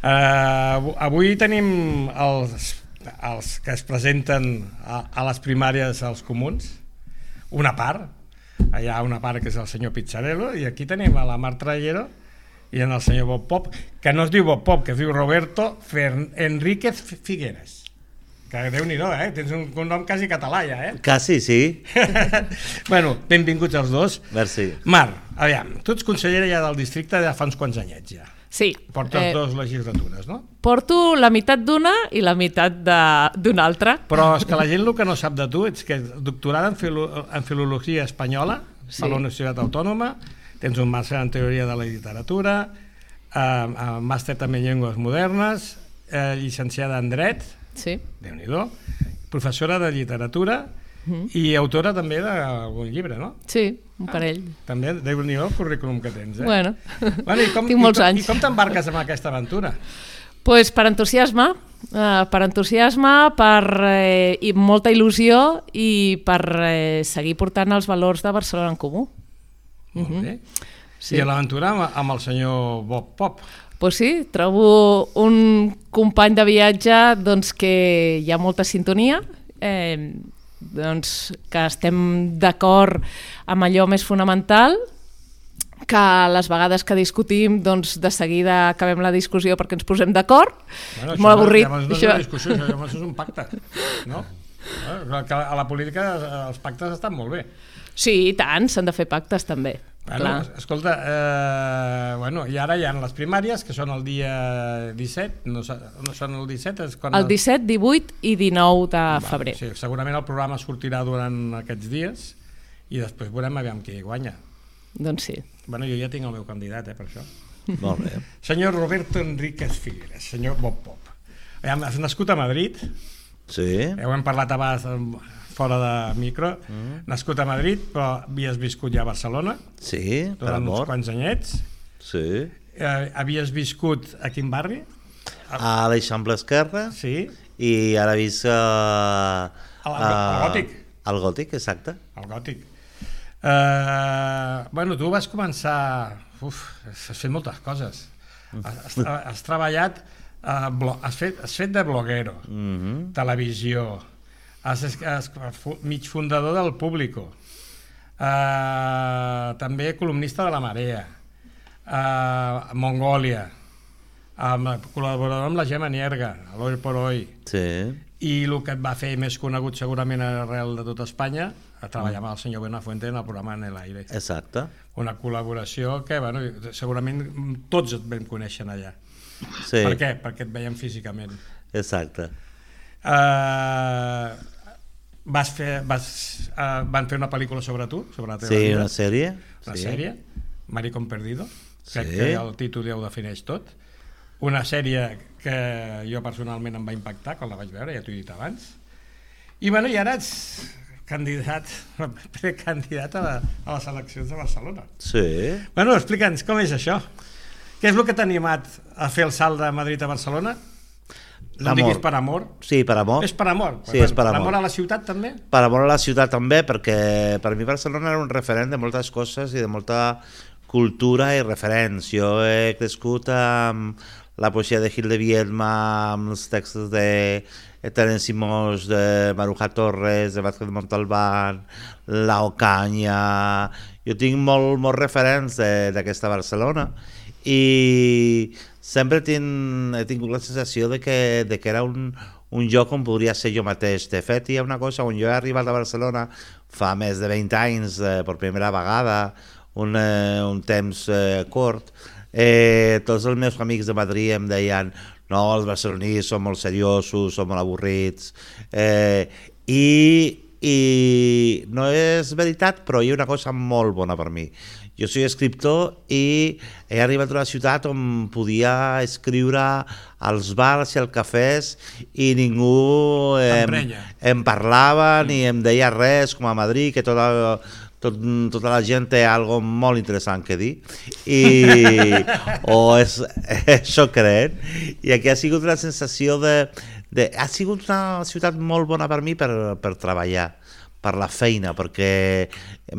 Avui tenim els que es presenten a les primàries als comuns, una part, hi ha una part que és el senyor Pizzarello, i aquí tenim a la Mar Trayero i en el senyor Bob Pop, que no es diu Bob Pop, que es diu Roberto Enríquez Figueres. Que Déu-n'hi-do, tens un nom quasi català ja, Quasi, sí. Bueno, benvinguts els dos. Merci. Mar, aviam, tu ets consellera ja del districte de fa uns quants anyets ja. Sí. Portes dues legislatures, no? Porto la meitat d'una i la meitat d'una altra. Però és que la gent el que no sap de tu és que doctorada en filologia espanyola per la Universitat Autònoma, tens un màster en teoria de la literatura, màster també en llengües modernes, llicenciada en dret, Déu-n'hi-do, professora de literatura i autora també d'algun llibre, no? Sí, un parell. També, Déu-n'hi-do el currículum que tens, Bueno, tinc molts anys. I com t'embarques en aquesta aventura? Doncs per entusiasme, i molta il·lusió i per seguir portant els valors de Barcelona en Comú. Molt bé. I a l'aventura amb el senyor Bob Pop? Doncs sí, trobo un company de viatge que hi ha molta sintonia, que estem d'acord amb allò més fonamental, que les vegades que discutim de seguida acabem la discussió perquè ens posem d'acord. És molt avorrit. Llavors no és una discussió, llavors és un pacte, no? A la política els pactes estan molt bé. Sí, i tant, s'han de fer pactes també. Bueno, escolta, i ara hi ha les primàries, que són el dia 17, no són el 17? El 17, 18 i 19 de febrer. Sí, segurament el programa sortirà durant aquests dies i després veurem aviam qui guanya. Doncs sí. Bueno, jo ja tinc el meu candidat, per això. Molt bé. Senyor Roberto Enríquez Figueres, senyor Bob Pop. Has nascut a Madrid? Sí. Ho hem parlat abans fora de micro. Nascut a Madrid, però havies viscut ja a Barcelona. Sí, per amor. Durant uns quants anyets. Sí. Havies viscut a quin barri? A l'Eixample Esquerra. Sí. I ara visc al Gòtic. Al Gòtic, exacte. Al Gòtic. Tu vas començar... Has fet moltes coses. Has treballat... Has fet de bloguero, televisió, mig fundador del Público, també columnista de La Marea, Mongòlia, col·laborador amb la Gemma Nierga, a l'Hoy por Hoy, i el que et va fer més conegut segurament arrel de tot Espanya, a treballar amb el senyor Buenafuente en el programa En el Aire. Exacte. Una col·laboració que segurament tots et vam conèixer allà. Sí. Per què? Perquè et veiem físicament. Exacte. Van fer una pel·lícula sobre tu, sobre la teva vida. Sí, una sèrie. Una sèrie, Maricón Perdido, crec que el títol ja ho defineix tot. Una sèrie que jo personalment em va impactar quan la vaig veure, ja t'ho he dit abans. I ara ets precandidat a les eleccions de Barcelona. Sí. Explica'ns com és això. Què és el que t'ha animat a fer el salt de Madrid a Barcelona? No em diguis per amor. Sí, per amor. És per amor. Sí, és per amor. Per amor a la ciutat també? Per amor a la ciutat també, perquè per mi Barcelona era un referent de moltes coses i de molta cultura i referents. Jo he crescut amb la poesia de Gil de Viedma, amb els textos de Terence Simós, de Maruja Torres, de Vázquez Montalbán, La Ocaña... Jo tinc molts referents d'aquesta Barcelona i sempre he tingut la sensació de que era un lloc on podria ser jo mateix. De fet, hi ha una cosa, on jo he arribat a Barcelona fa més de 20 anys, per primera vegada, un temps curt, tots els meus amics de Madrid em deien no, els barcelonins són molt seriosos, són molt avorrits, i no és veritat, però hi ha una cosa molt bona per mi. Jo soy escriptor i he arribat a una ciutat on podia escriure als bars i als cafès i ningú em parlava ni em deia res, com a Madrid, que tota la gent té algo molt interessant que dir o això creen, i aquí ha sigut una sensació ha sigut una ciutat molt bona per mi per treballar, per la feina, perquè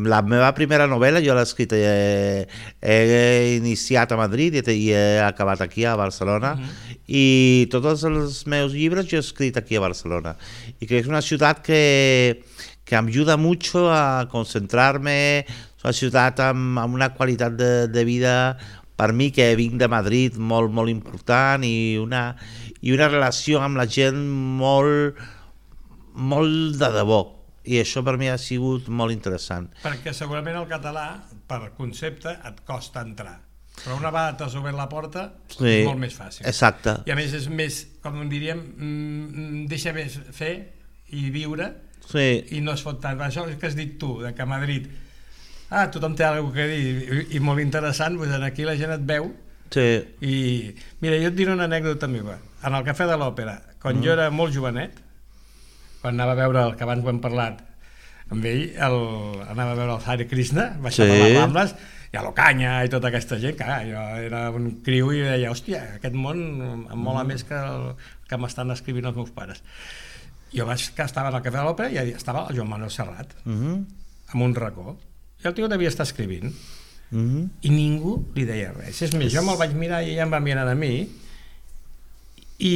la meva primera novel·la jo l'he escrit, he iniciat a Madrid i he acabat aquí a Barcelona, i tots els meus llibres jo he escrit aquí a Barcelona, i crec que és una ciutat que em ajuda mucho a concentrarme, és una ciutat amb una qualitat de vida per mi, que vinc de Madrid, molt, molt important, i una relació amb la gent molt de debò, i això per mi ha sigut molt interessant. Perquè segurament el català, per concepte, et costa entrar, però una vegada t'has obert la porta és molt més fàcil. Exacte. I a més és més, com diríem, deixa més fer i viure, i no es fot tant. Això que has dit tu, que a Madrid tothom té alguna cosa a dir i molt interessant, doncs aquí la gent et veu. I mira, jo et diré una anècdota meva. En el Cafè de l'Òpera, quan jo era molt jovenet, quan anava a veure, el que abans ho hem parlat amb ell, anava a veure el Hare Krishna, baixava les Rambles, i a l'Ocaña i tota aquesta gent, que jo era un criu i deia, hòstia, aquest món em mola més que el que m'estan escrivint els meus pares. Jo estava al Cafè de l'Òpera i estava el Joan Manuel Serrat, amb un racó, i el tio devia estar escrivint, i ningú li deia res. És més, jo me'l vaig mirar i ella em va mirar a mi, i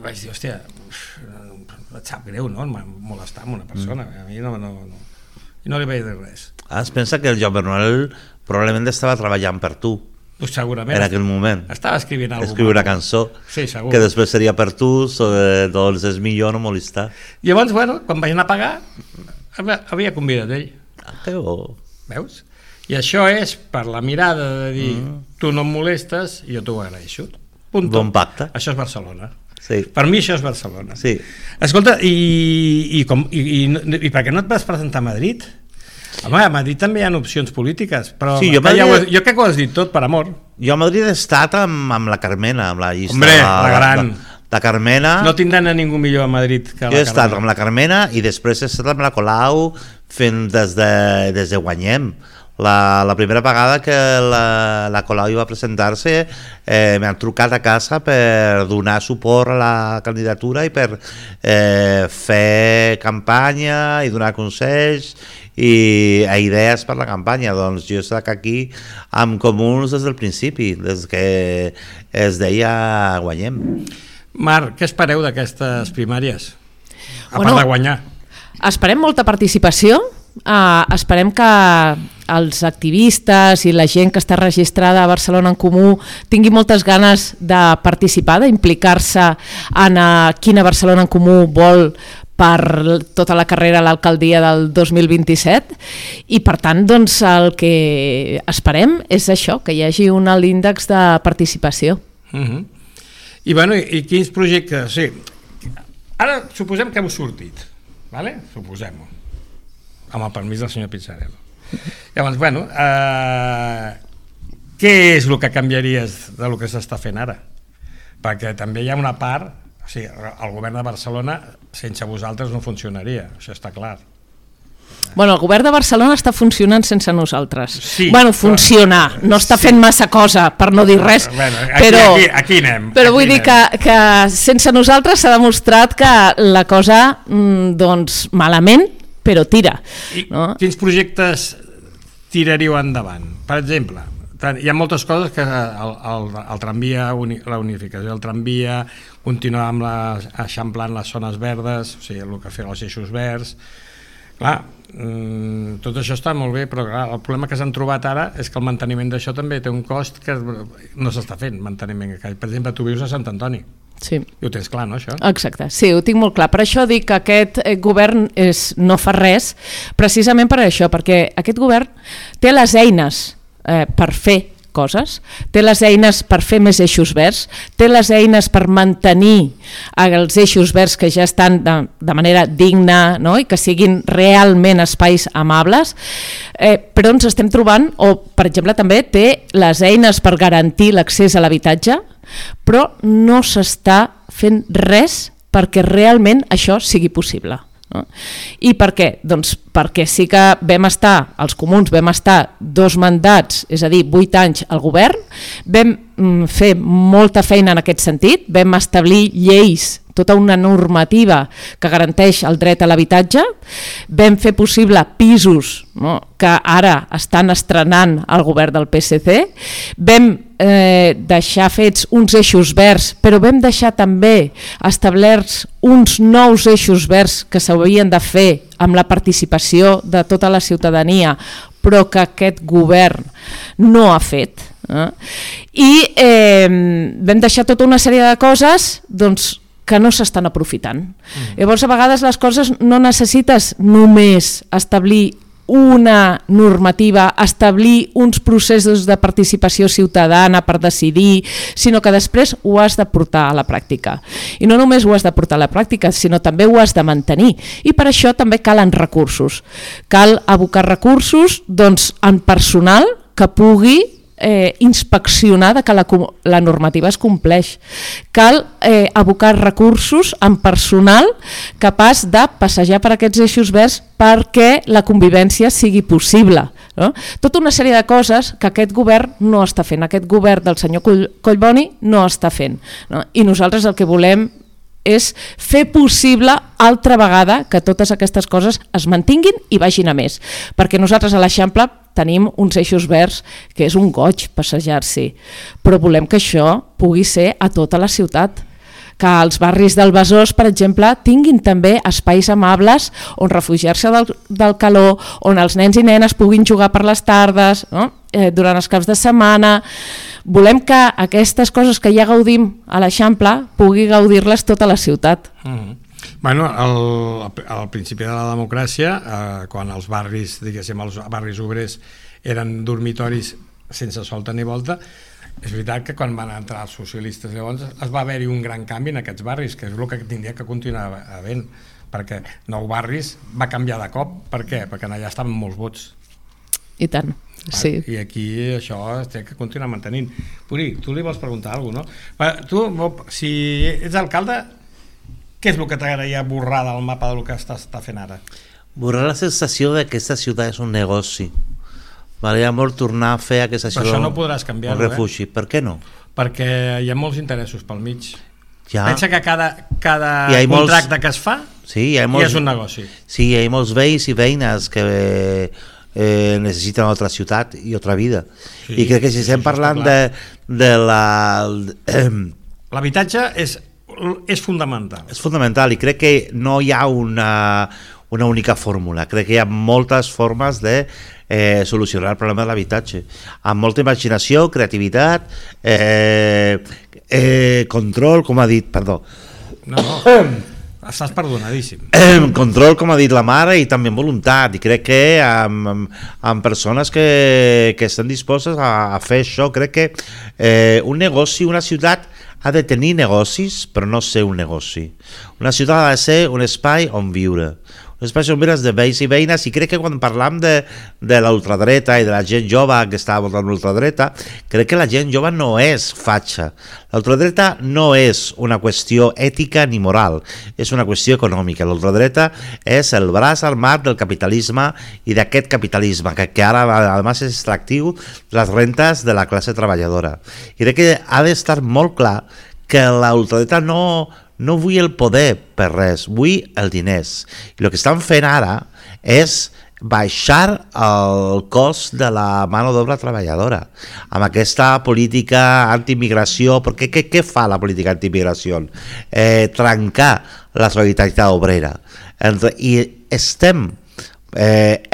vaig dir, hòstia, et sap greu, no? Molestar amb una persona, a mi no li vaig dir res. Es pensa que el Joan Manuel probablement estava treballant per tu, pues segurament en aquell moment. Estava escrivint alguna cosa. Escriure una cançó, que després seria per tu, doncs és millor no molestar. Llavors, bueno, quan vaig anar a pagar, havia convidat ell. Que bo. Veus? I això és per la mirada de dir, tu no em molestes i jo t'ho agraeixo. Bon pacte. Això és Barcelona. Sí. Per mi això és Barcelona. Sí. Escolta, i per què no et vas presentar a Madrid? Home, a Madrid també hi ha opcions polítiques, però sí, jo crec que ho has dit tot per amor. Jo a Madrid he estat amb la Carmena, amb la llista. Hombre, la gran. La Carmena... No tindran a ningú millor a Madrid que la Carmena. Jo he estat amb la Carmena i després he estat amb la Colau fent des de Guanyem. La primera vegada que la Colau va presentar-se m'han trucat a casa per donar suport a la candidatura i per fer campanya i donar consells i idees per la campanya. Doncs jo he estat aquí amb Comuns des del principi, des que es deia Guanyem. Mar, què espereu d'aquestes primàries? A part de guanyar. Esperem molta participació, esperem que els activistes i la gent que està registrada a Barcelona en Comú tingui moltes ganes de participar, d'implicar-se en quina Barcelona en Comú vol per tota la carrera a l'alcaldia del 2027 i per tant doncs, el que esperem és això, que hi hagi un alt índex de participació. I bueno, i quins projectes? Sí. Ara suposem que heu sortit, ¿vale? Suposem-ho, amb el permís del senyor Pizzarello. Llavors, bueno, què és el que canviaries del que s'està fent ara? Perquè també hi ha una part, o sigui, el govern de Barcelona sense vosaltres no funcionaria, això està clar. Bueno, el govern de Barcelona està funcionant sense nosaltres. Sí, bueno, funcionar, no està fent massa cosa, per no dir res, aquí anem. Però vull dir que sense nosaltres s'ha demostrat que la cosa, doncs, malament, però tira. No? Quins projectes tiraríeu endavant? Per exemple, hi ha moltes coses que el tramvia, la unificació del tramvia, continuar amb eixamplant les zones verdes, o sigui, el que feien els eixos verds. Clar, tot això està molt bé, però clar, el problema que s'han trobat ara és que el manteniment d'això també té un cost que no s'està fent, manteniment. Per exemple, tu vius a Sant Antoni. Sí. I ho tens clar, no, això? Exacte, sí, ho tinc molt clar. Per això dic que aquest govern no fa res, precisament per això, perquè aquest govern té les eines per fer coses, té les eines per fer més eixos verds, té les eines per mantenir els eixos verds que ja estan de manera digna, no? I que siguin realment espais amables, però ens estem trobant, o per exemple també té les eines per garantir l'accés a l'habitatge, però no s'està fent res perquè realment això sigui possible. No? I per què? Doncs perquè sí que els comuns vam estar 2 mandats, és a dir, 8 anys al govern, vam fer molta feina en aquest sentit, vam establir lleis tota una normativa que garanteix el dret a l'habitatge, vam fer possible pisos, no?, que ara estan estrenant el govern del PSC, vam deixar fets uns eixos verds, però vam deixar també establerts uns nous eixos verds que s'haurien de fer amb la participació de tota la ciutadania, però que aquest govern no ha fet. I vam deixar tota una sèrie de coses doncs, que no s'estan aprofitant. Llavors, a vegades les coses no necessites només establir una normativa, establir uns processos de participació ciutadana per decidir, sinó que després ho has de portar a la pràctica. I no només ho has de portar a la pràctica, sinó també ho has de mantenir. I per això també calen recursos. Cal abocar recursos doncs, en personal que pugui inspeccionar que la normativa es compleix. Cal abocar recursos en personal capaç de passejar per aquests eixos verds perquè la convivència sigui possible. No? Tota una sèrie de coses que aquest govern no està fent, aquest govern del senyor Collboni no està fent. No? I nosaltres el que volem és fer possible altra vegada que totes aquestes coses es mantinguin i vagin a més. Perquè nosaltres a l'Eixample tenim uns eixos verds que és un goig passejar-s'hi, però volem que això pugui ser a tota la ciutat, que els barris del Besòs, per exemple, tinguin també espais amables on refugiar-se del calor, on els nens i nenes puguin jugar per les tardes, no? Durant els caps de setmana. Volem que aquestes coses que ja gaudim a l'Eixample pugui gaudir-les tota la ciutat. Bueno, al principi de la democràcia, quan els barris, diguéssim, els barris obrers eren dormitoris sense solta ni volta, és veritat que quan van entrar els socialistes llavors es va haver-hi un gran canvi en aquests barris, que és el que tindria que continuar havent, perquè Nou Barris va canviar de cop. Per què? Perquè allà estaven molts vots. I tant, sí. I aquí això es té que continuar mantenint. Puri, tu li vols preguntar alguna cosa, no? Tu, si ets alcalde, què és el que t'agradaria borrar del mapa del que està fent ara? Borrar la sensació de que aquesta ciutat és un negoci. M'agradaria molt tornar a fer aquesta ciutat no podràs canviar-ho, un refugi. Per què no? Perquè hi ha molts interessos pel mig. Ja. Pensa que cada contracte que es fa és un negoci. Sí, hi ha molts veïns i veïnes que necessiten una altra ciutat i altra vida. Sí, i crec que si estem parlant de la... L'habitatge és fundamental. És fundamental i crec que no hi ha una única fórmula. Crec que hi ha moltes formes de solucionar el problema de l'habitatge. Amb molta imaginació, creativitat, control, com ha dit, perdó. No, estàs perdonadíssim. Control, com ha dit la mare, i també voluntat. I crec que amb persones que estan dispostes a fer això, crec que un negoci, una ciutat ha de tenir negocis, però no ser un negoci. Una ciutat ha de ser un espai on viure. Un espai on viure de veïns i veïnes, i crec que quan parlam de l'ultradreta i de la gent jove que està votant l'ultradreta, crec que la gent jove no és fatxa. L'ultradreta no és una qüestió ètica ni moral, és una qüestió econòmica. L'ultradreta és el braç armat del capitalisme i d'aquest capitalisme, que ara a més és extractiu les rentes de la classe treballadora. I crec que ha d'estar molt clar que l'ultradreta no vull el poder per res, vull el diners. I el que estan fent ara és baixar el cost de la mano d'obra treballadora amb aquesta política anti-immigració. Perquè què fa la política anti-immigració? Trencar la solidaritat obrera. I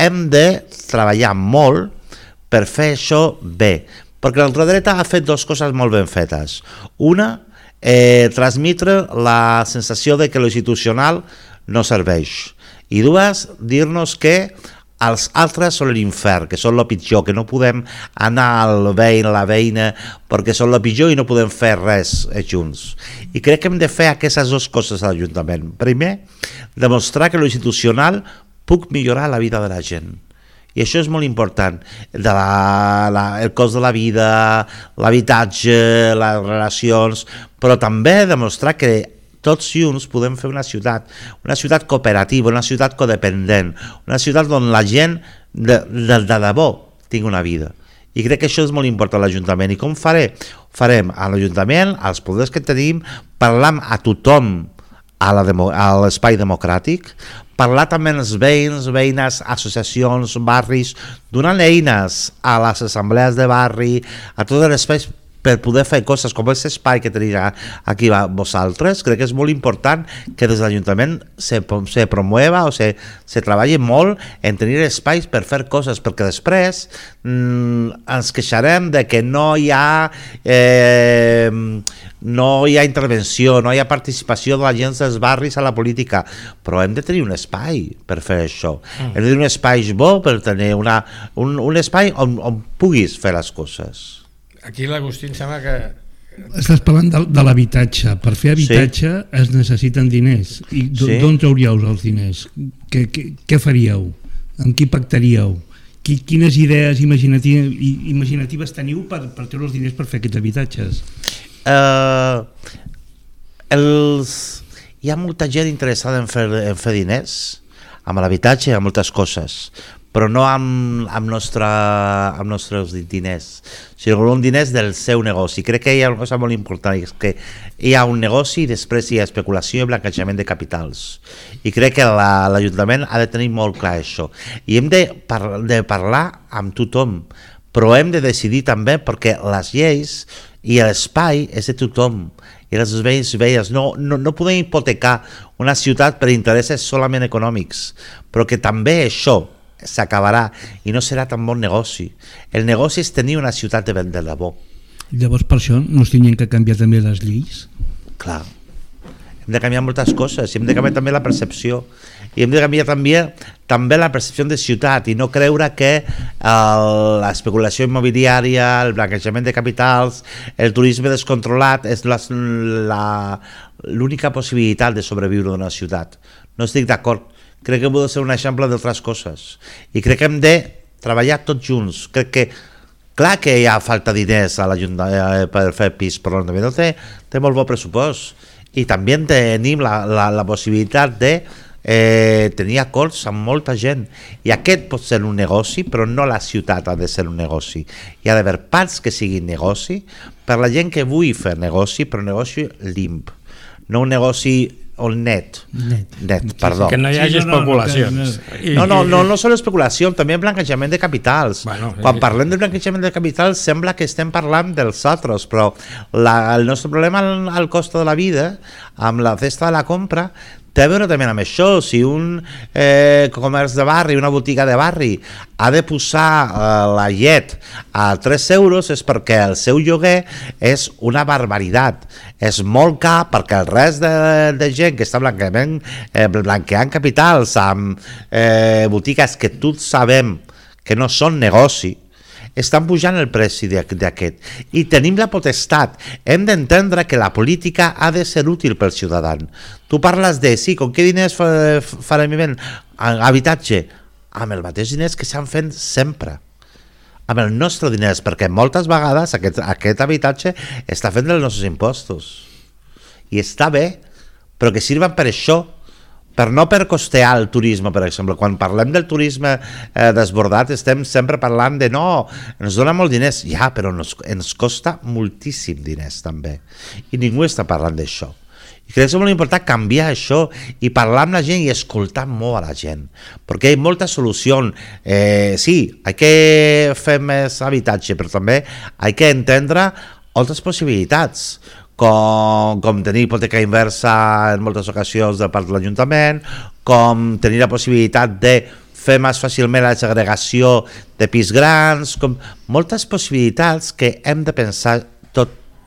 hem de treballar molt per fer això bé, perquè l'ultradreta ha fet dues coses molt ben fetes. Una, transmetre la sensació de que lo institucional no serveix, i dues, dir-nos que els altres són l'infern, que són el pitjor, que no podem anar al veïn, a la veïna, perquè són el pitjor i no podem fer res junts. I crec que hem de fer aquestes dues coses a l'Ajuntament. Primer, demostrar que lo institucional puc millorar la vida de la gent. I això és molt important, el cost de la vida, l'habitatge, les relacions, però també demostrar que tots junts podem fer una ciutat cooperativa, una ciutat codependent, una ciutat on la gent de debò tingui una vida. I crec que això és molt important a l'Ajuntament. I com farem? Farem a l'Ajuntament, als poders que tenim, parlant a tothom a l'espai democràtic, parlar també amb els veïns, veïnes, associacions, barris, donant eines a les assemblees de barri, a tots els espais per poder fer coses com aquest espai que teniu aquí vosaltres. Crec que és molt important que des de l'Ajuntament se promueva o se treballi molt en tenir espais per fer coses, perquè després ens queixarem de que no hi ha intervenció, no hi ha participació de la gent dels barris a la política, però hem de tenir un espai per fer això. Hem de tenir un espai bo per tenir un espai on puguis fer les coses. Aquí l'Agustí em sembla que... Estàs parlant de l'habitatge. Per fer habitatge es necessiten diners. I d'on trauríeu els diners? Què faríeu? Amb qui pactaríeu? Quines idees imaginatives teniu per treure els diners per fer aquests habitatges? Hi ha molta gent interessada en fer diners amb l'habitatge i amb moltes coses, però no amb nostres diners, sinó amb diners del seu negoci. Crec que hi ha una cosa molt important, és que hi ha un negoci i després hi ha especulació i blanquejament de capitals. I crec que l'Ajuntament ha de tenir molt clar això. I hem de parlar amb tothom, però hem de decidir també, perquè les lleis i l'espai és de tothom, i els veïns i veïnes. No podem hipotecar una ciutat per interessos solament econòmics, però que també això s'acabarà i no serà tan bon negoci. El negoci és tenir una ciutat de debò. Llavors per això no es tenien que canviar també les lleis? Clar, hem de canviar moltes coses, hem de canviar també la percepció, i hem de canviar també la percepció de ciutat, i no creure que l'especulació immobiliària, el blanquejament de capitals, el turisme descontrolat és l'única possibilitat de sobreviure d'una ciutat. No estic d'acord. Crec que hem de ser un exemple d'altres coses, i crec que hem de treballar tots junts. Crec que, clar que hi ha falta de diners a l'Ajuntament per fer pis, però l'Ajuntament té molt bon pressupost, i també tenim la possibilitat de tenir acords amb molta gent, i aquest pot ser un negoci, però no la ciutat ha de ser un negoci. Hi ha d'haver parts que siguin negoci per la gent que vulgui fer negoci, però un negoci limp, no un negoci net, perdó. Que no hi hagi especulacions. No solo especulació, també blanquejament de capitals. Quan parlem de blanquejament de capitals sembla que estem parlant dels altres, però el nostre problema al cost de la vida, amb la cesta de la compra, té a veure també amb això. Si un comerç de barri, una botiga de barri ha de posar la llet a 3 euros, és perquè el seu lloguer és una barbaritat, és molt car, perquè el rest de gent que està blanqueant capitals amb botigues que tots sabem que no són negoci, estan pujant el preu d'aquest, i tenim la potestat. Hem d'entendre que la política ha de ser útil pel ciutadà. Tu parles de, sí, com què diners farem habitatge? Amb els mateixos diners que s'han fet sempre, amb els nostres diners, perquè moltes vegades aquest habitatge està fet dels nostres impostos, i està bé, però que sirven per això, no per costear el turisme, per exemple. Quan parlem del turisme desbordat estem sempre parlant de no, ens dona molt diners, ja, però ens costa moltíssim diners també, i ningú està parlant d'això. I crec que és molt important canviar això i parlar amb la gent i escoltar molt a la gent, perquè hi ha molta solució. Sí, hay que fer més habitatge, però també hay que entendre altres possibilitats, com tenir hipoteca inversa en moltes ocasions de part de l'Ajuntament, com tenir la possibilitat de fer més fàcilment la segregació de pis grans, com moltes possibilitats que hem de pensar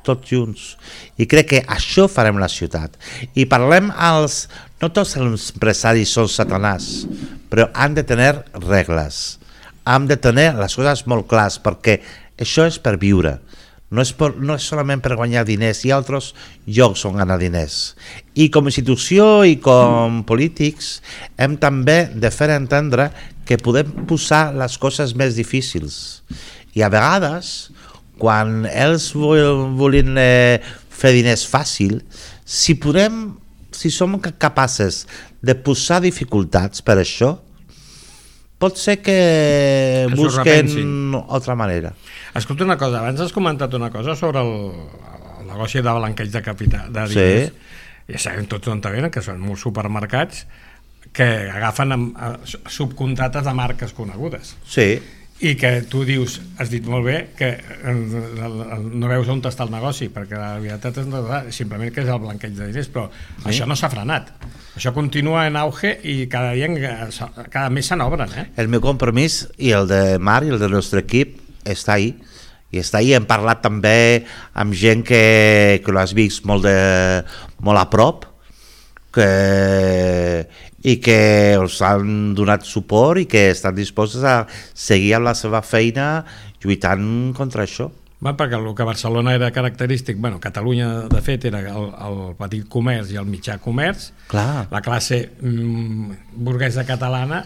tots junts, i crec que això farem la ciutat. I parlem no tots els empresaris són satanàs, però han de tenir regles, han de tenir les coses molt clares, perquè això és per viure. No és solament per guanyar diners, hi ha altres llocs on ganar diners. I com a institució i com polítics hem també de fer entendre que podem posar les coses més difícils. I a vegades, quan ells volen fer diners fàcil, si som capaces de posar dificultats per això, pot ser que busquen altra manera. Escolta una cosa, abans has comentat una cosa sobre el negoci de blanqueig de capital, de diners. ja sabem tots on venen, que són molts supermercats que agafen subcontrates de marques conegudes. Sí. I que tu dius, has dit molt bé, que no veus on està el negoci, perquè la veritat és simplement que és el blanqueig de diners, però això no s'ha frenat. Això continua en auge i cada mes se n'obren. El meu compromís, i el de Marc i el del nostre equip, està ahí. I està ahí. Hem parlat també amb gent que l'has vist molt a prop, i que els han donat suport i que estan disposats a seguir amb la seva feina lluitant contra això. Perquè el que a Barcelona era característic, Catalunya de fet era el petit comerç i el mitjà comerç. Clar. La classe burguesa catalana,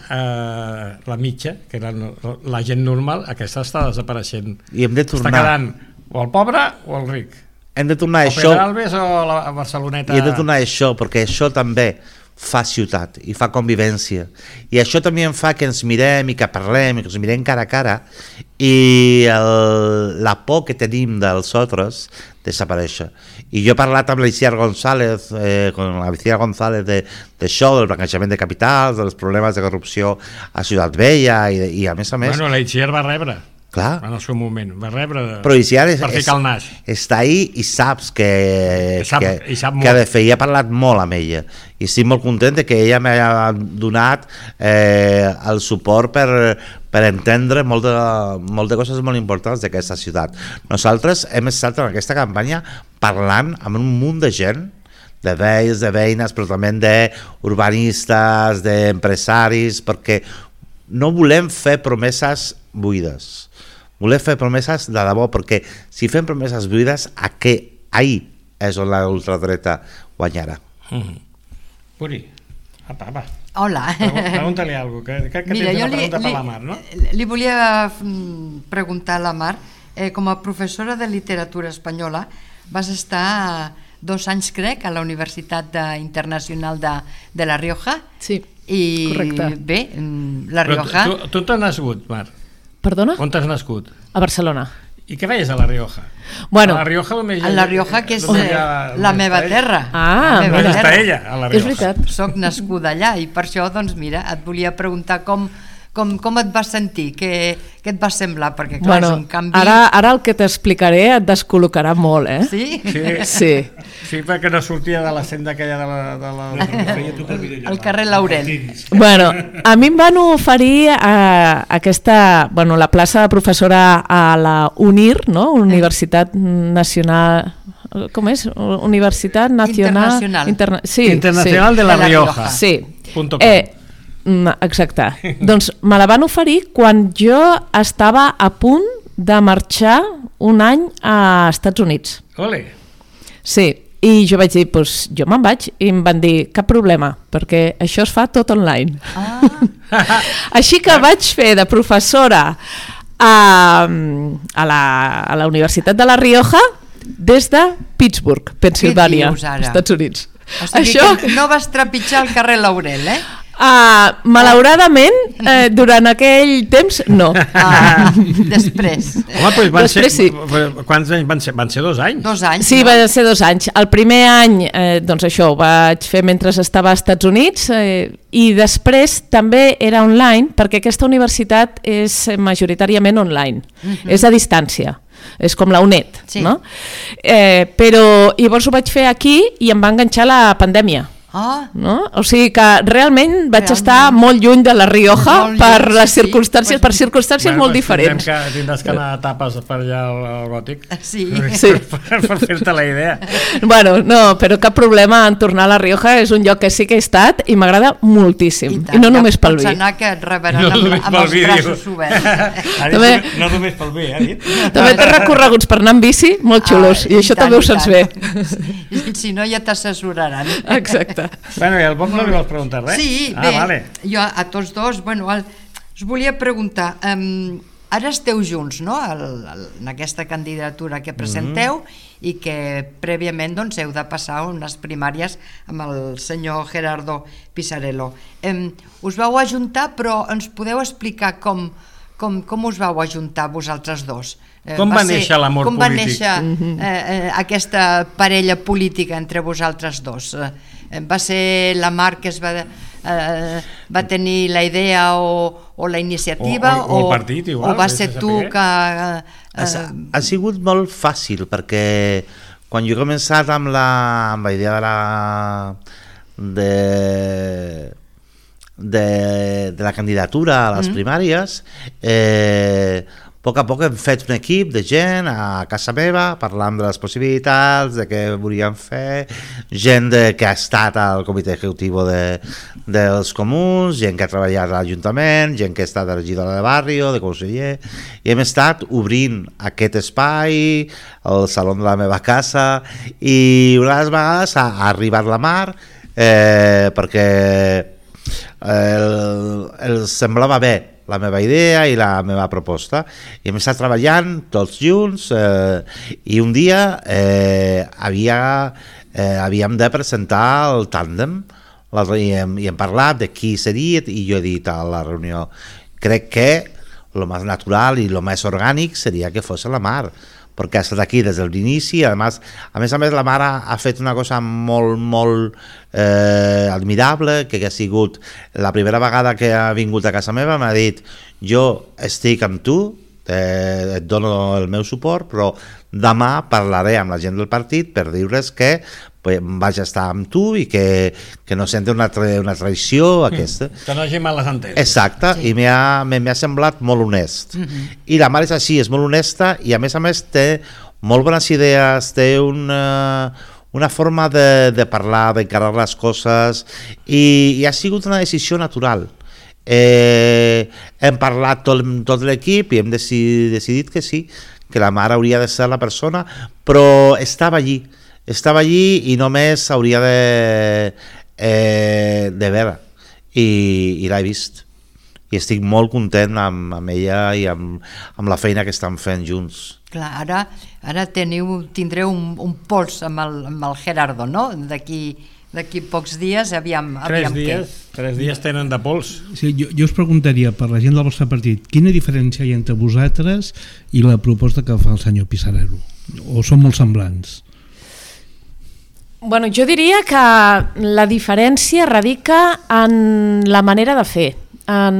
la mitja, que era la gent normal, aquesta està desapareixent. I hem de tornar. Està quedant o el pobre o el ric. Hem de tornar a això. O Pedralbes o la Barceloneta. I hem de tornar a això, perquè això també fa ciutat i fa convivència, i això també em fa que ens mirem i que parlem i que ens mirem cara a cara, i la por que tenim dels altres desapareix. I jo he parlat amb l'Iciar González, d'això, del blanquejament de capitals, dels problemes de corrupció a Ciutat Vella, i a més, l'Iciar va rebre. Clar. En el seu moment, va rebre però per ficar el nas. Està ahí i saps que ha de fer, i ha parlat molt amb ella, i estic molt content que ella m'ha donat el suport per entendre molt de coses molt importants d'aquesta ciutat. Nosaltres hem estat en aquesta campanya parlant amb un munt de gent, de veïns, de veïnes, però també d'urbanistes, d'empresaris, perquè no volem fer promeses buides. Volem fer promeses de debò, perquè si fem promeses buides, ahí és on la ultradreta guanyarà. Puri, apa. Hola. Pregunta-li alguna cosa, que tens una pregunta per la Mar, no? Li volia preguntar a la Mar, com a professora de literatura espanyola, vas estar 2 anys, crec, a la Universitat Internacional de La Rioja. Sí, correcte. I bé, La Rioja... Tu t'has nascut, Mar? Perdona? On t'has nascut? A Barcelona. I què feies a La Rioja? Bueno, a La Rioja, que és la meva terra. On està ella, a La Rioja? És veritat. Soc nascuda allà i per això, doncs mira, et volia preguntar com et vas sentir, què et va semblar, perquè clar, és un canvi... Ara el que t'explicaré et descol·locarà molt, eh? Sí? Sí, perquè no sortia de la senda aquella al carrer Laurent. Bueno, a mi em van oferir la plaça de professora a la UNIR, no? Universitat Nacional... Com és? Universitat Nacional... Internacional de La Rioja. Sí. Exacte. Doncs me la van oferir quan jo estava a punt de marxar un any a Estats Units. Ole! Sí, i jo vaig dir, doncs jo me'n vaig, i em van dir, cap problema, perquè això es fa tot online. Així que vaig fer de professora a la Universitat de La Rioja des de Pittsburgh, Pensilvània, Estats Units. O sigui que no vas trepitjar el carrer Laurel, eh? Malauradament, durant aquell temps, no. Després. Home, després sí. Quants anys van ser? Van ser 2 anys? 2 anys. Sí, van ser 2 anys. El primer any, doncs això, ho vaig fer mentre estava als Estats Units, i després també era online, perquè aquesta universitat és majoritàriament online, és a distància. És com la UNED, no? Però llavors ho vaig fer aquí i em va enganxar la pandèmia. No? O sigui que realment vaig estar molt lluny de La Rioja per les circumstàncies, per circumstàncies molt diferents. Tindràs que anar a tapes per allà al Gòtic per fer-te la idea. Bueno, no, però cap problema en tornar a La Rioja, és un lloc que sí que he estat i m'agrada moltíssim, i no només pel vi. Pots anar que et rebaran amb els braços oberts. No només pel vi, dit. També té recorreguts per anar amb bici molt xulos, i això també ho saps bé. Si no ja t'assessoraran. Exacte. Bueno, i al Bob no li vols preguntar res? Sí, bé, jo a tots dos, bueno, us volia preguntar, ara esteu junts, no?, en aquesta candidatura que presenteu i que prèviament doncs heu de passar unes primàries amb el senyor Gerardo Pisarello. Us vau ajuntar, però ens podeu explicar com com us vau ajuntar vosaltres dos? Com va néixer l'amor polític? Com va néixer aquesta parella política entre vosaltres dos? Va ser la Mar que va tenir la idea o la iniciativa o el partit igual, o va ser tu que... Ha sigut molt fàcil perquè quan jo he començat amb la idea de la candidatura a les primàries, a poc hem fet un equip de gent a casa meva parlant de les possibilitats, de què volíem fer, gent que ha estat al comitè executiu dels comuns, gent que ha treballat a l'Ajuntament, gent que ha estat a la regidora de barri, de conseller, i hem estat obrint aquest espai, el saló de la meva casa, i una de les vegades ha arribat la Mar perquè els semblava bé la meva idea i la meva proposta, i hem estat treballant tots junts, i un dia havíem de presentar el tàndem i hem parlat de qui seria, i jo he dit a la reunió, crec que el més natural i el més orgànic seria que fos la Mar, perquè ha estat aquí des de l'inici. A més a més, la mare ha fet una cosa molt admirable, que ha sigut la primera vegada que ha vingut a casa meva, m'ha dit, jo estic amb tu, et dono el meu suport, però demà parlaré amb la gent del partit per dir-les que vaig estar amb tu i que no senti una traïció aquesta. Que no hagi males enteses. Exacte, sí. I m'ha semblat molt honest. I la mare és així, és molt honesta, i a més té molt bones idees, té una forma de parlar, d'encarar les coses, i ha sigut una decisió natural. Hem parlat tot l'equip i hem decidit que sí, que la mare hauria de ser la persona, però estava allí i només hauria de veure, i l'he vist, i estic molt content amb ella i amb la feina que estan fent junts. Clar, ara tindreu un pols amb el Gerardo, no? D'aquí pocs dies, aviam què. 3 dies tenen de pols. Sí, jo us preguntaria, per la gent del vostre partit, quina diferència hi ha entre vosaltres i la proposta que fa el senyor Pisarello? O són molt semblants? Bueno, jo diria que la diferència radica en la manera de fer. A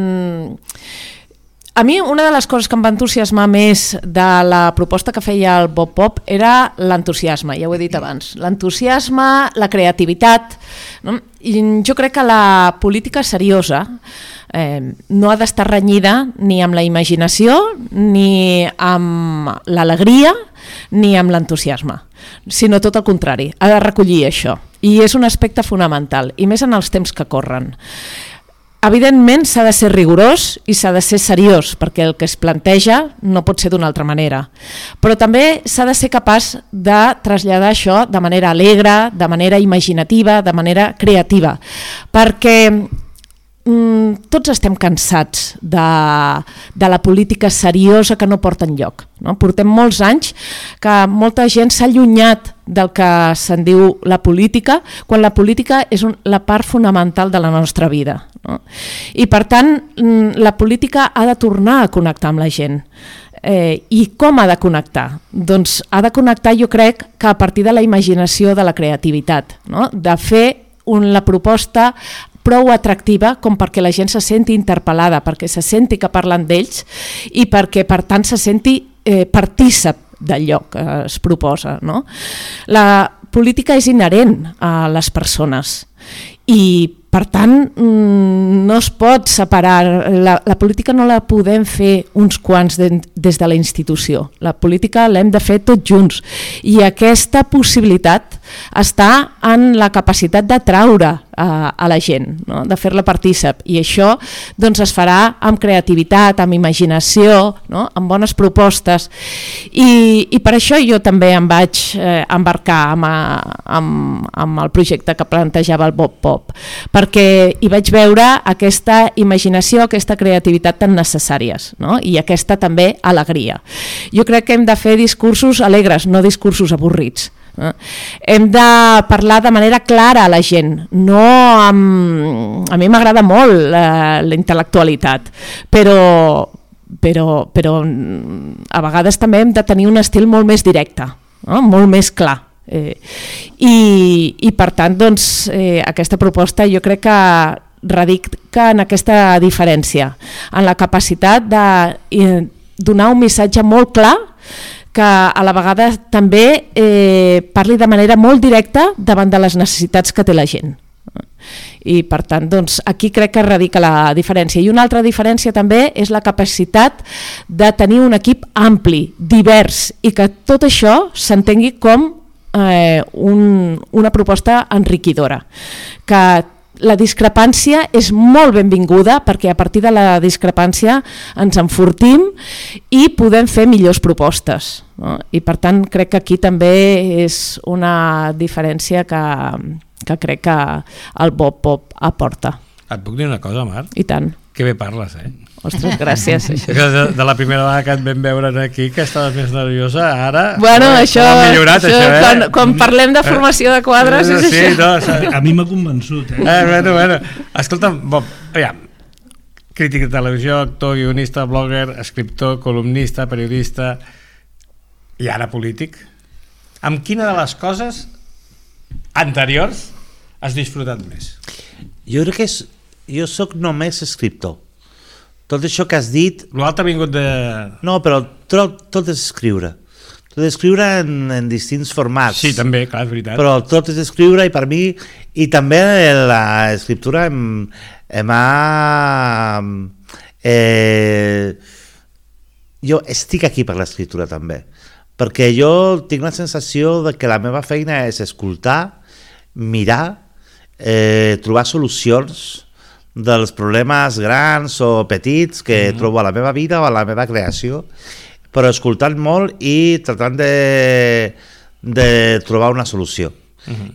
mi una de les coses que em va entusiasmar més de la proposta que feia el Bob Pop era l'entusiasme, ja ho he dit abans. L'entusiasme, la creativitat, no? I jo crec que la política seriosa no ha d'estar renyida ni amb la imaginació, ni amb l'alegria, ni amb l'entusiasme, sinó tot el contrari, ha de recollir això. I és un aspecte fonamental, i més en els temps que corren. Evidentment s'ha de ser rigorós i s'ha de ser seriós, perquè el que es planteja no pot ser d'una altra manera. Però també s'ha de ser capaç de traslladar això de manera alegre, de manera imaginativa, de manera creativa, perquè tots estem cansats de la política seriosa que no porta enlloc. No? Portem molts anys que molta gent s'ha allunyat del que se'n diu la política, quan la política és la part fonamental de la nostra vida. No? I per tant, la política ha de tornar a connectar amb la gent. I com ha de connectar? Doncs ha de connectar, jo crec, que a partir de la imaginació, de la creativitat, no? De fer la proposta prou atractiva com perquè la gent se senti interpel·lada, perquè se senti que parlen d'ells i perquè per tant se senti partícip d'allò que es proposa. No? La política és inherent a les persones i per tant no es pot separar, la política no la podem fer uns quants des de la institució, la política l'hem de fer tots junts i aquesta possibilitat està en la capacitat d'atraure a la gent, no? De fer-la partícip, i això doncs, es farà amb creativitat, amb imaginació, no? Amb bones propostes, i per això jo també em vaig embarcar amb el projecte que plantejava el Bob Pop, perquè hi vaig veure aquesta imaginació, aquesta creativitat tan necessàries, no? I aquesta també alegria. Jo crec que hem de fer discursos alegres, no discursos avorrits. Hem de parlar de manera clara a la gent, no a mi m'agrada molt la intel·lectualitat, però però a vegades també hem de tenir un estil molt més directe, no? Molt més clar. I per tant, doncs, aquesta proposta jo crec que radica en aquesta diferència, en la capacitat de donar un missatge molt clar que a la vegada també parli de manera molt directa davant de les necessitats que té la gent. I per tant, doncs, aquí crec que radica la diferència. I una altra diferència també és la capacitat de tenir un equip ampli, divers, i que tot això s'entengui com una proposta enriquidora, que la discrepància és molt benvinguda perquè a partir de la discrepància ens enfortim i podem fer millors propostes, no? I per tant crec que aquí també és una diferència que crec que el Bob Pop aporta. Et puc dir una cosa, Marc? I tant. Que bé parles, Ostres, gràcies. De la primera vegada que et vam veure aquí, que estaves més nerviosa, ara... Bueno, això ha millorat, això, quan parlem de formació de quadres és sí, això. No, a mi m'ha convençut, Bueno. Escolta'm, Bob, aviam, crític de televisió, actor, guionista, blogger, escriptor, columnista, periodista i ara polític. Amb quina de les coses anteriors has disfrutat més? Jo crec que jo sóc només escriptor. Tot això que has dit... L'altre ha vingut de... No, però tot és escriure. Tot és escriure en distints formats. Sí, també, clar, és veritat. Però tot és escriure i per mi... I també l'escriptura jo estic aquí per l'escriptura també. Perquè jo tinc la sensació de que la meva feina és escoltar, mirar, trobar solucions dels problemes grans o petits que trobo a la meva vida o a la meva creació, però escoltant molt i tratant de trobar una solució.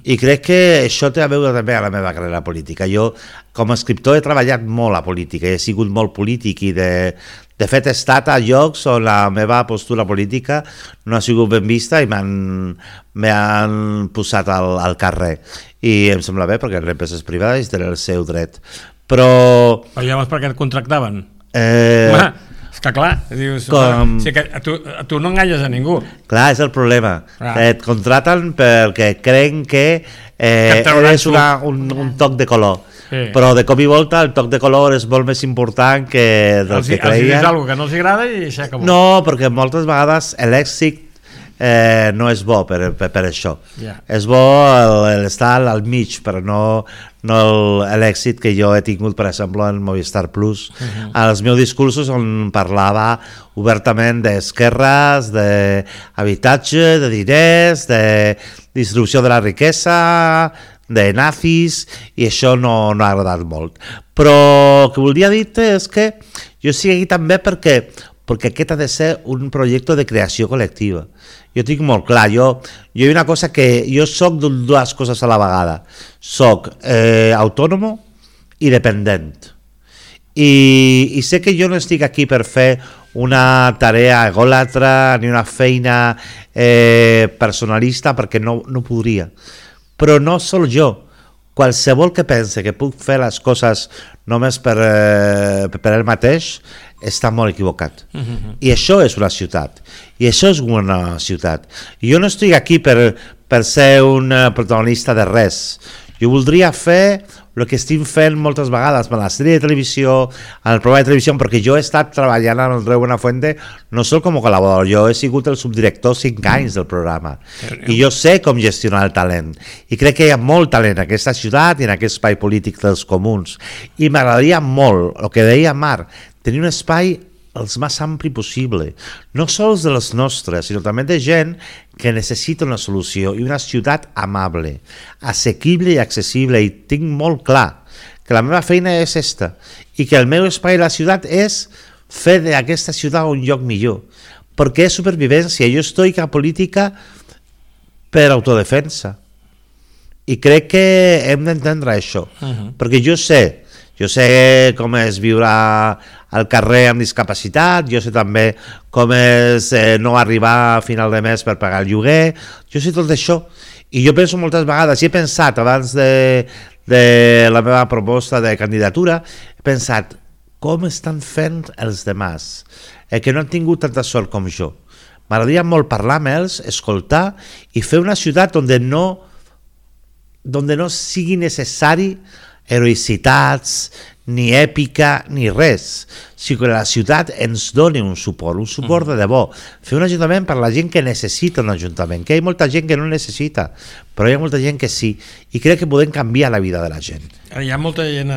I crec que això té a veure també a la meva carrera política. Jo, com a escriptor, he treballat molt a política, he sigut molt polític i de fet he estat a llocs on la meva postura política no ha sigut ben vista i m'han posat al carrer. I em sembla bé perquè les empreses privades tenen el seu dret. Però llavors per què et contractaven? És que clar, dius, si que a tu no enganyes a ningú. Clar, és el problema. Et contraten perquè creen que eres un toc de color. Sí. Però de cop i volta el toc de color és molt més important que del que creien. Els dius alguna que no els agrada i s'acabó. No, perquè moltes vegades l'èxit no és bo per això. És bo l'estar al mig, però no l'èxit que jo he tingut, per exemple, en Movistar Plus. Als meus discursos on parlava obertament d'esquerres, d'habitatge, de diners, de distribució de la riquesa, de nazis, i això no ha agradat molt. Però el que volia dir és que jo estic aquí també perquè aquest ha de ser un projecte de creació col·lectiva. Jo tinc molt clar, jo hi ha una cosa que jo soc dues coses a la vegada. Soc autònom i dependent. I sé que jo no estic aquí per fer una tarea egòlatra ni una feina personalista perquè no podria. Però no sol jo. Qualsevol que pense que puc fer les coses només per ell mateix està molt equivocat. I això és una ciutat. I això és una ciutat. I jo no estic aquí per ser un protagonista de res. Jo voldria fer el que estic fent moltes vegades a la sèrie de televisió, al programa de televisió, perquè jo he estat treballant amb el Andreu Buenafuente no sol com a col·laborador, jo he sigut el subdirector 5 anys del programa i jo sé com gestionar el talent i crec que hi ha molt talent en aquesta ciutat i en aquest espai polític dels comuns i m'agradaria molt, el que deia Marc, tenir un espai el més ampli possible, no sols de les nostres, sinó també de gent que necessita una solució i una ciutat amable, assequible i accessible, i tinc molt clar que la meva feina és esta i que el meu espai a la ciutat és fer d'aquesta ciutat un lloc millor, perquè és supervivència. Jo estic a política per autodefensa i crec que hem d'entendre això, perquè jo sé com és viure al carrer amb discapacitat, jo sé també com és no arribar a final de mes per pagar el lloguer, jo sé tot això i jo penso moltes vegades, i he pensat abans de la meva proposta de candidatura, he pensat com estan fent els demás, que no han tingut tanta sort com jo. M'agradaria molt parlar amb ells, escoltar i fer una ciutat on no sigui necessari heroïcitats, ni èpica, ni res. Si que la ciutat ens doni un suport de debò. Fer un ajuntament per la gent que necessita un ajuntament, que hi ha molta gent que no necessita, però hi ha molta gent que sí, i crec que podem canviar la vida de la gent. Hi ha molta gent...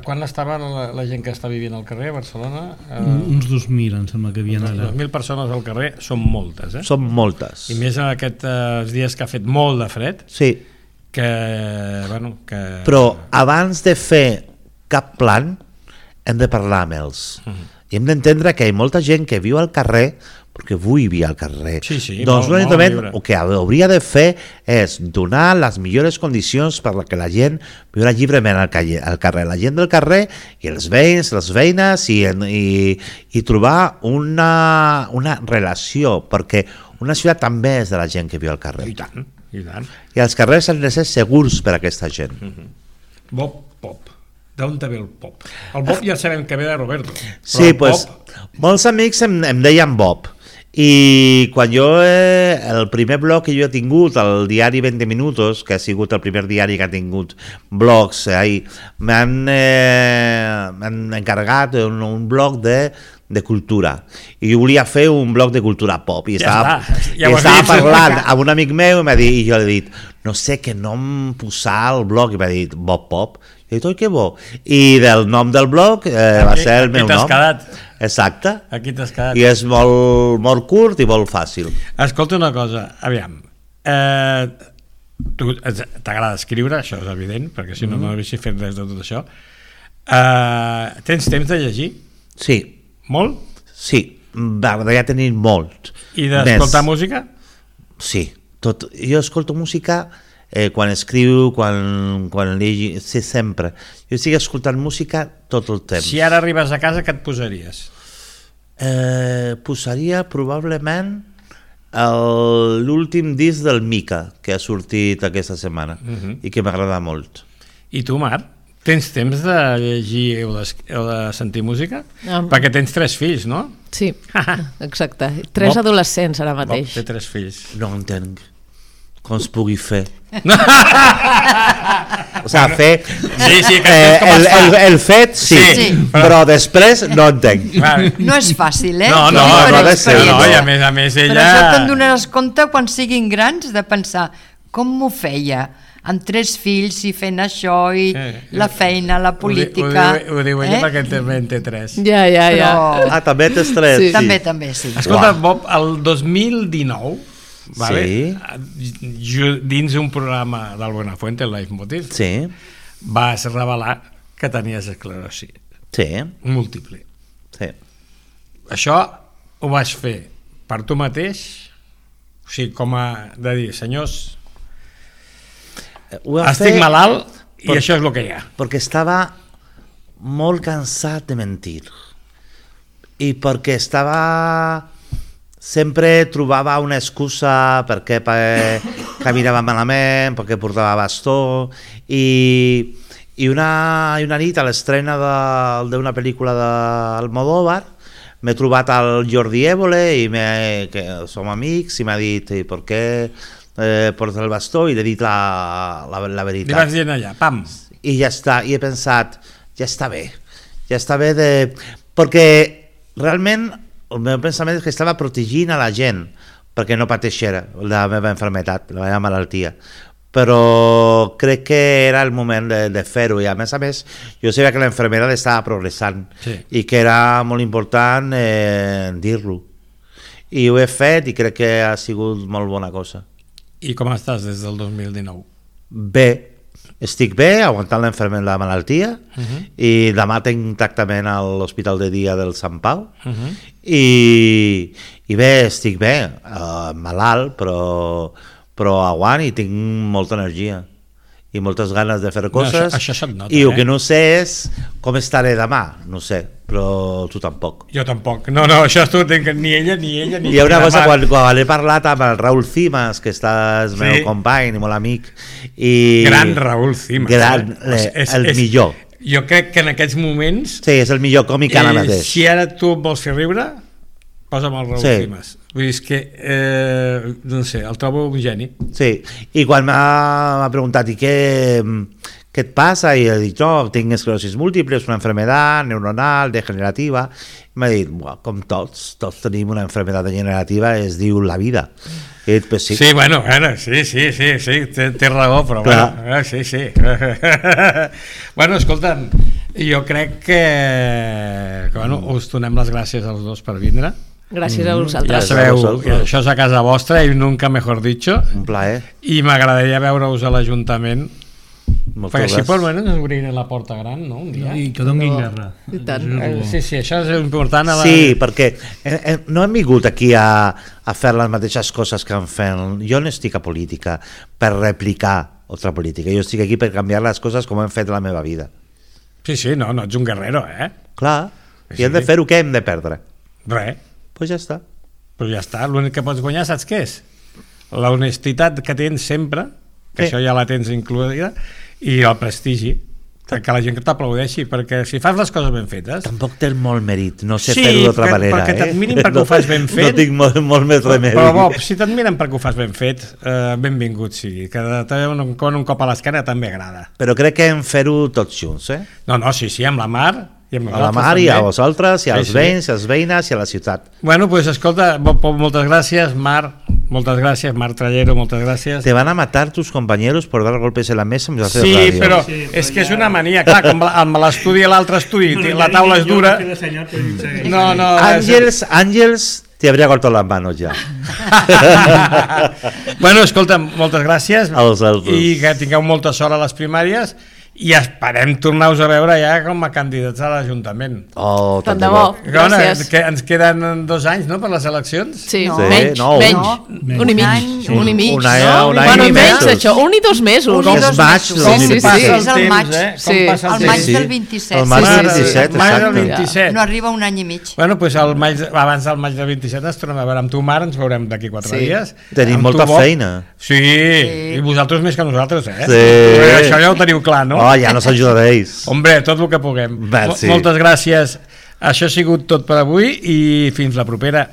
Quan estava la gent que està vivint al carrer a Barcelona? Uns 2.000, em sembla que havien allà. 2.000 persones al carrer són moltes, eh? Són moltes. I més en aquests dies que ha fet molt de fred, sí. Però abans de fer cap plan hem de parlar amb ells i hem d'entendre que hi ha molta gent que viu al carrer perquè vull viure al carrer. Doncs un ajuntament el que hauria de fer és donar les millors condicions per que la gent viurà lliurement al carrer, la gent del carrer i els veïns, les veïnes i trobar una relació, perquè una ciutat també és de la gent que viu al carrer. I tant. I els carrers han de ser segurs per a aquesta gent. Bob Pop. D'on ve el pop? El Bob ja sabem que ve de Roberto. Sí, doncs molts amics em deien Bob. I quan el primer blog que jo he tingut, el diari 20 Minutos, que ha sigut el primer diari que ha tingut blogs, m'han encarregat un blog de cultura, i jo volia fer un blog de cultura pop i estava parlant amb un amic meu i jo li he dit, no sé què nom posar al blog, i m'ha dit Bob Pop, i he dit, oi que bo, i del nom del blog va ser el meu nom. Aquí t'has quedat. Exacte. Aquí t'has quedat. I és molt curt i molt fàcil. Escolta una cosa, aviam, tu t'agrada escriure, això és evident, perquè si no haguessis fet res de tot això. Tens temps de llegir? Sí. Molt? Sí, m'agradaria tenir molt. I d'escoltar música? Sí, tot. Jo escolto música quan escriu, quan llegeixo, sí, sempre. Jo estic escoltant música tot el temps. Si ara arribes a casa, què et posaries? Posaria probablement l'últim disc del Mika, que ha sortit aquesta setmana i que m'agrada molt. I tu, Mar? Tens temps de llegir o de sentir música? Perquè tens 3 fills, no? Sí, exacte. 3 adolescents ara mateix. Bob té 3 fills. No entenc com es pugui fer. O sigui, fer... Sí, el fet, sí, però després no entenc. No és fàcil, eh? No, i a més ella... Però això te'n donaràs compte quan siguin grans de pensar com m'ho feia amb 3 fills i fent això i la feina, la política. Ho diu ella perquè també en té 3. Ja. Ah, també tens 3? Sí. També, sí. Escolta, Bob, el 2019, vale? Dins un programa del Buenafuente, el Leitmotiv, vas revelar que tenies esclerosi múltiple. Sí. Això ho vas fer per tu mateix? O sigui, com a de dir, senyors... Estic malalt i això és el que hi ha. Perquè estava molt cansat de mentir i perquè sempre trobava una excusa perquè caminava malament, perquè portava bastó i una nit a l'estrena d'una pel·lícula d'Almodóvar m'he trobat al Jordi Évole que som amics i m'ha dit per què porta el bastó i li he dit la veritat. Li vas dient allà, pam. I ja està, i he pensat, ja està bé perquè realment el meu pensament és que estava protegint a la gent perquè no pateixera la meva malaltia, la meva malaltia, però crec que era el moment de fer-ho, i a més jo sabia que la infermera estava progressant i que era molt important dir-lo, i ho he fet i crec que ha sigut molt bona cosa. I com estàs des del 2019? Bé, estic bé, aguantant la malaltia, i demà tinc tractament a l'Hospital de Dia del Sant Pau, i bé, estic bé, malalt, però aguant i tinc molta energia i moltes ganes de fer coses. Això se't nota, i el que no sé és com estaré demà, no sé, però tu tampoc. Jo tampoc, no, això tu ni ella ni hi ha una cosa, quan he parlat amb el Raúl Cimas, que és meu company i molt amic, gran Raúl Cimas, el millor. jo crec que en aquests moments... Sí, és el millor còmic ara mateix. Si ara tu em vols fer riure, posa'm el Raúl Cimas. Vull dir, és que, no sé, el trobo un geni. Sí, i quan m'ha preguntat i què et passa? I he dit, no, tinc esclerosis múltiple, és una enfermedad neuronal, degenerativa. I m'ha dit, com tots tenim una enfermedad degenerativa, es diu la vida. I he dit, pues sí. Sí, bueno, sí, té raó, però bueno, sí. Bueno, escolta'm, jo crec que bueno, us donem les gràcies als dos per vindre. Gràcies a Ja vosaltres. sabeu, això és a casa vostra i nunca mejor dicho. Un plaer. I m'agradaria veure-us a l'Ajuntament, Moltes perquè així gràcies. per almenys ens obrirem la porta gran, no? Un dia. I que donguin guerra. I tant. Sí, això és important. Sí, perquè no hem vingut aquí a fer les mateixes coses que han fet. Jo no estic a política per replicar altra política, jo estic aquí per canviar les coses com hem fet la meva vida. Sí, no ets un guerrero, Clar, Sí. i hem de fer-ho, què hem de perdre? Res, Pues ja està. però ja està, l'únic que pots guanyar saps què és? La honestitat que tens sempre, que Sí. això ja la tens incluïda, i el prestigi, que la gent que t'aplaudeixi, perquè si fas les coses ben fetes... Tampoc té molt mèrit, no sé Sí, fer-ho d'altra manera. perquè t'admirin perquè ho fas ben fet. No tinc molt més remei. Però Bob, si t'admiren perquè ho fas ben fet, benvingut sigui, que con un cop a l'esquena també agrada. Però crec que hem fer-ho tots junts, No, sí, amb la Mar, i amb A la nosaltres Mar i a també. vosaltres, i als Sí. veïns, i als veïnes, i a la ciutat. Bueno, pues escolta, Bob, moltes gràcies, Mar, Mar Trallero, moltes gràcies. Te van a matar tus compañeros por dar golpes en la mesa en hacer Sí, radio. però és que és una mania, clar, com amb l'estudi i l'altre estudi, la taula és dura. No, Àngels te habría cortado las manos ya. Bueno, escolta, moltes gràcies Als altres. i que tingueu molta sort a les primàries i esperem tornar-vos a veure ja com a candidats a l'Ajuntament. Oh, Tant de bo. Que, bueno, Gràcies. que ens queden 2 anys, no?, per les eleccions. Sí, No. menys, No, menys. no. Un i mig. Sí. Un i mig, Un any- no? un any Bueno, i menys, mesos. això. 1 i 2 mesos. Un i És dos maig, mesos. dos Sí, mil sí, vint. sí. És el maig. Com Sí. passa El el maig temps. sí. del 27. El maig Sí, del sí, sí. 27, El maig del exacte. 27. No arriba un any i mig. Bueno, doncs abans del maig del 27 ens tornem a veure amb tu, Mar, ens veurem d'aquí 4 Sí. dies. Tenim Amb molta tu, Bob. feina. Sí, i vosaltres més que nosaltres, Sí. Això ja ho teniu clar, no? Oh, ja nos ajudaréis. Hombre, tot el que puguem. Merci. Moltes gràcies. Això ha sigut tot per avui i fins la propera.